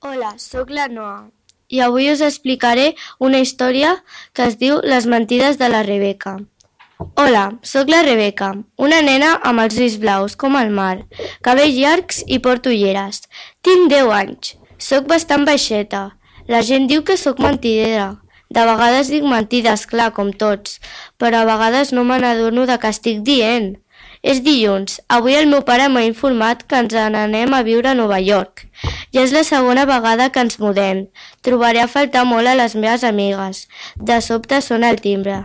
Hola, sóc la Noa i avui us explicaré una història que es diu Les mentides de la Rebeca. Hola, sóc la Rebeca, una nena amb els ulls blaus com el mar, cabells llargs i porto ulleres. Tinc 10 anys, sóc bastant baixeta. La gent diu que sóc mentidera. De vegades dic mentides, clar, com tots, però a vegades no me n'adono de què estic dient. És dilluns. Avui el meu pare m'ha informat que ens n'anem a viure a Nova York. Ja és la segona vegada que ens mudem. Trobaré a faltar molt a les meves amigues. De sobte sona el timbre.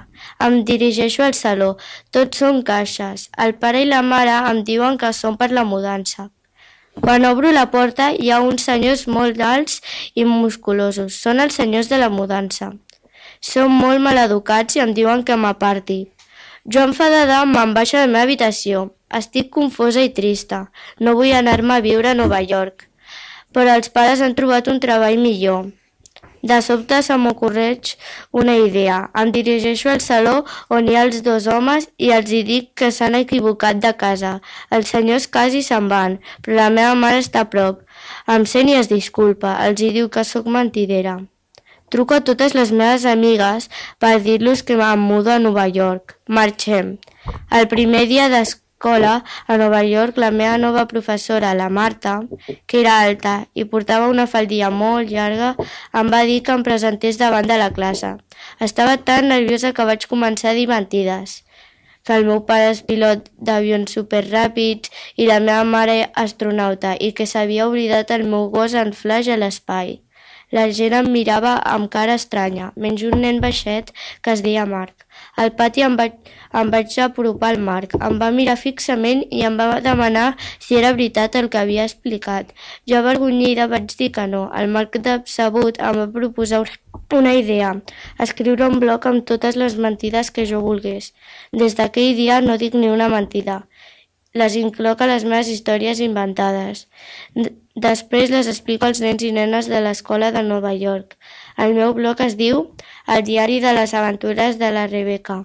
Em dirigeixo al saló. Tots són caixes. El pare i la mare em diuen que són per la mudança. Quan obro la porta hi ha uns senyors molt alts i musculosos. Són els senyors de la mudança. Són molt maleducats i em diuen que m'aparti. Jo enfadada me'n vaig a la meva habitació. Estic confosa i trista. No vull anar-me a viure a Nova York. Però els pares han trobat un treball millor. De sobte se m'ocorreix una idea. Em dirigeixo al saló on hi ha els dos homes i els hi dic que s'han equivocat de casa. Els senyors quasi se'n van, però la meva mare està a prop. Em sent i es disculpa. Els hi diu que sóc mentidera. Truco a totes les meves amigues per dir-los que em mudo a Nova York. Marxem. El primer dia d'escola a Nova York, la meva nova professora, la Marta, que era alta i portava una faldilla molt llarga, em va dir que em presentés davant de la classe. Estava tan nerviosa que vaig començar a dir mentides. Que el meu pare és pilot d'avions superràpids i la meva mare astronauta i que s'havia oblidat el meu gos en flash a l'espai. La gent em mirava amb cara estranya, menys un nen baixet que es deia Marc. Al pati em vaig apropar al Marc. Em va mirar fixament i em va demanar si era veritat el que havia explicat. Jo avergonyida vaig dir que no. El Marc decebut em va proposar una idea, escriure un blog amb totes les mentides que jo volgués. Des d'aquell dia no dic ni una mentida. Les incloc a les meves històries inventades. Després les explico als nens i nenes de l'escola de Nova York. El meu blog es diu El diari de les aventures de la Rebeca.